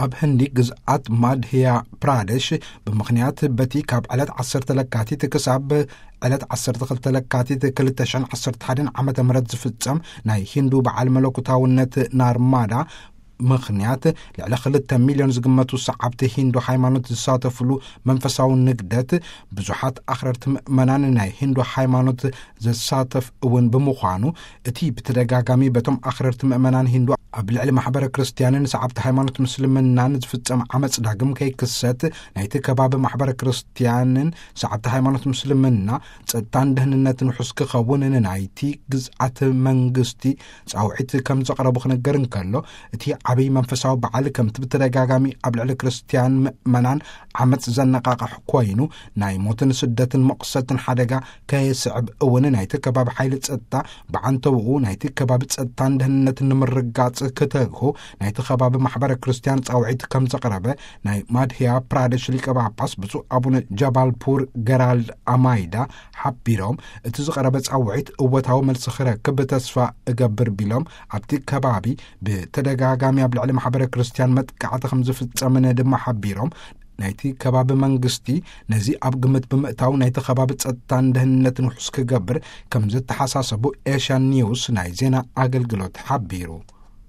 ኣብ ህንዲ ግዝኣት ማድህያ ፕራደሽ፣ ብምኽንያት በቲ ካብ ዕለት ዓሰርተ ለካቲት ክሳብ ዕለት ዓሰርተ ክልተ ለካቲት ክልተ ሽሕን ዓሰርተ ሓደን ዓመተ ምህረት ዝፍጸም ናይ ሂንዱ በዓል መለኮታውነት ናርማዳ ምኽንያት፣ ልዕሊ ክልተ ሚልዮን ዝግመቱ ሰዓብቲ ሂንዱ ሃይማኖት ዝሳተፍሉ መንፈሳዊ ንግደት፣ ብዙሓት ኣኽረርቲ ምእመናን ናይ ሂንዱ ሃይማኖት ዘሳተፍ እውን ብምዃኑ፣ እቲ ብተደጋጋሚ በቶም ኣኽረርቲ ምእመናን ሂንዱ ኣብ ልዕሊ ማሕበረ ክርስትያንን ሰዓብቲ ሃይማኖት ምስልምናን ዝፍጸም ዓመጽ ዳግም ከይክሰት፣ ናይቲ ከባቢ ማሕበረ ክርስትያንን ሰዓብቲ ሃይማኖት ምስልምና ጸጥታን ደህንነትን ውሑስ ክኸውን ንናይቲ ግዝኣት መንግስቲ ጻውዒት ከም ዘቕረቡ ክነገር እንከሎ፣ እቲ ዓብይ መንፈሳዊ በዓል ከምቲ ብተደጋጋሚ ኣብ ልዕሊ ክርስትያን ምእመናን ዓመጽ ዘነቃቕሕ ኮይኑ፣ ናይ ሞትን ስደትን መቕሰትን ሓደጋ ከየስዕብ እውን ናይቲ ከባቢ ሓይሊ ጸጥታ ብዓንተውኡ ናይቲ ከባቢ ጸጥታን ደህንነትን ንምርጋጽ ክተግሁ ናይቲ ከባቢ ማሕበረ ክርስትያን ጻውዒት ከም ዘቕረበ ናይ ማድህያ ፕራደሽ ሊቀ ጳጳስ ብፁዕ ኣቡነ ጃባልፑር ገራልድ ኣማይዳ ሓቢሮም፣ እቲ ዝቐረበ ጻውዒት እወታዊ መልሲ ክረክብ ተስፋ እገብር ቢሎም፣ ኣብቲ ከባቢ ብተደጋጋሚ ኣብ ልዕሊ ማሕበረ ክርስትያን መጥቃዕቲ ከም ዝፍጸምን ድማ ሓቢሮም፣ ናይቲ ከባቢ መንግስቲ ነዚ ኣብ ግምት ብምእታው ናይቲ ከባቢ ጸጥታን ደህንነትን ውሑስ ክገብር ከም ዝተሓሳሰቡ ኤሽያን ኒውስ ናይ ዜና ኣገልግሎት ሓቢሩ።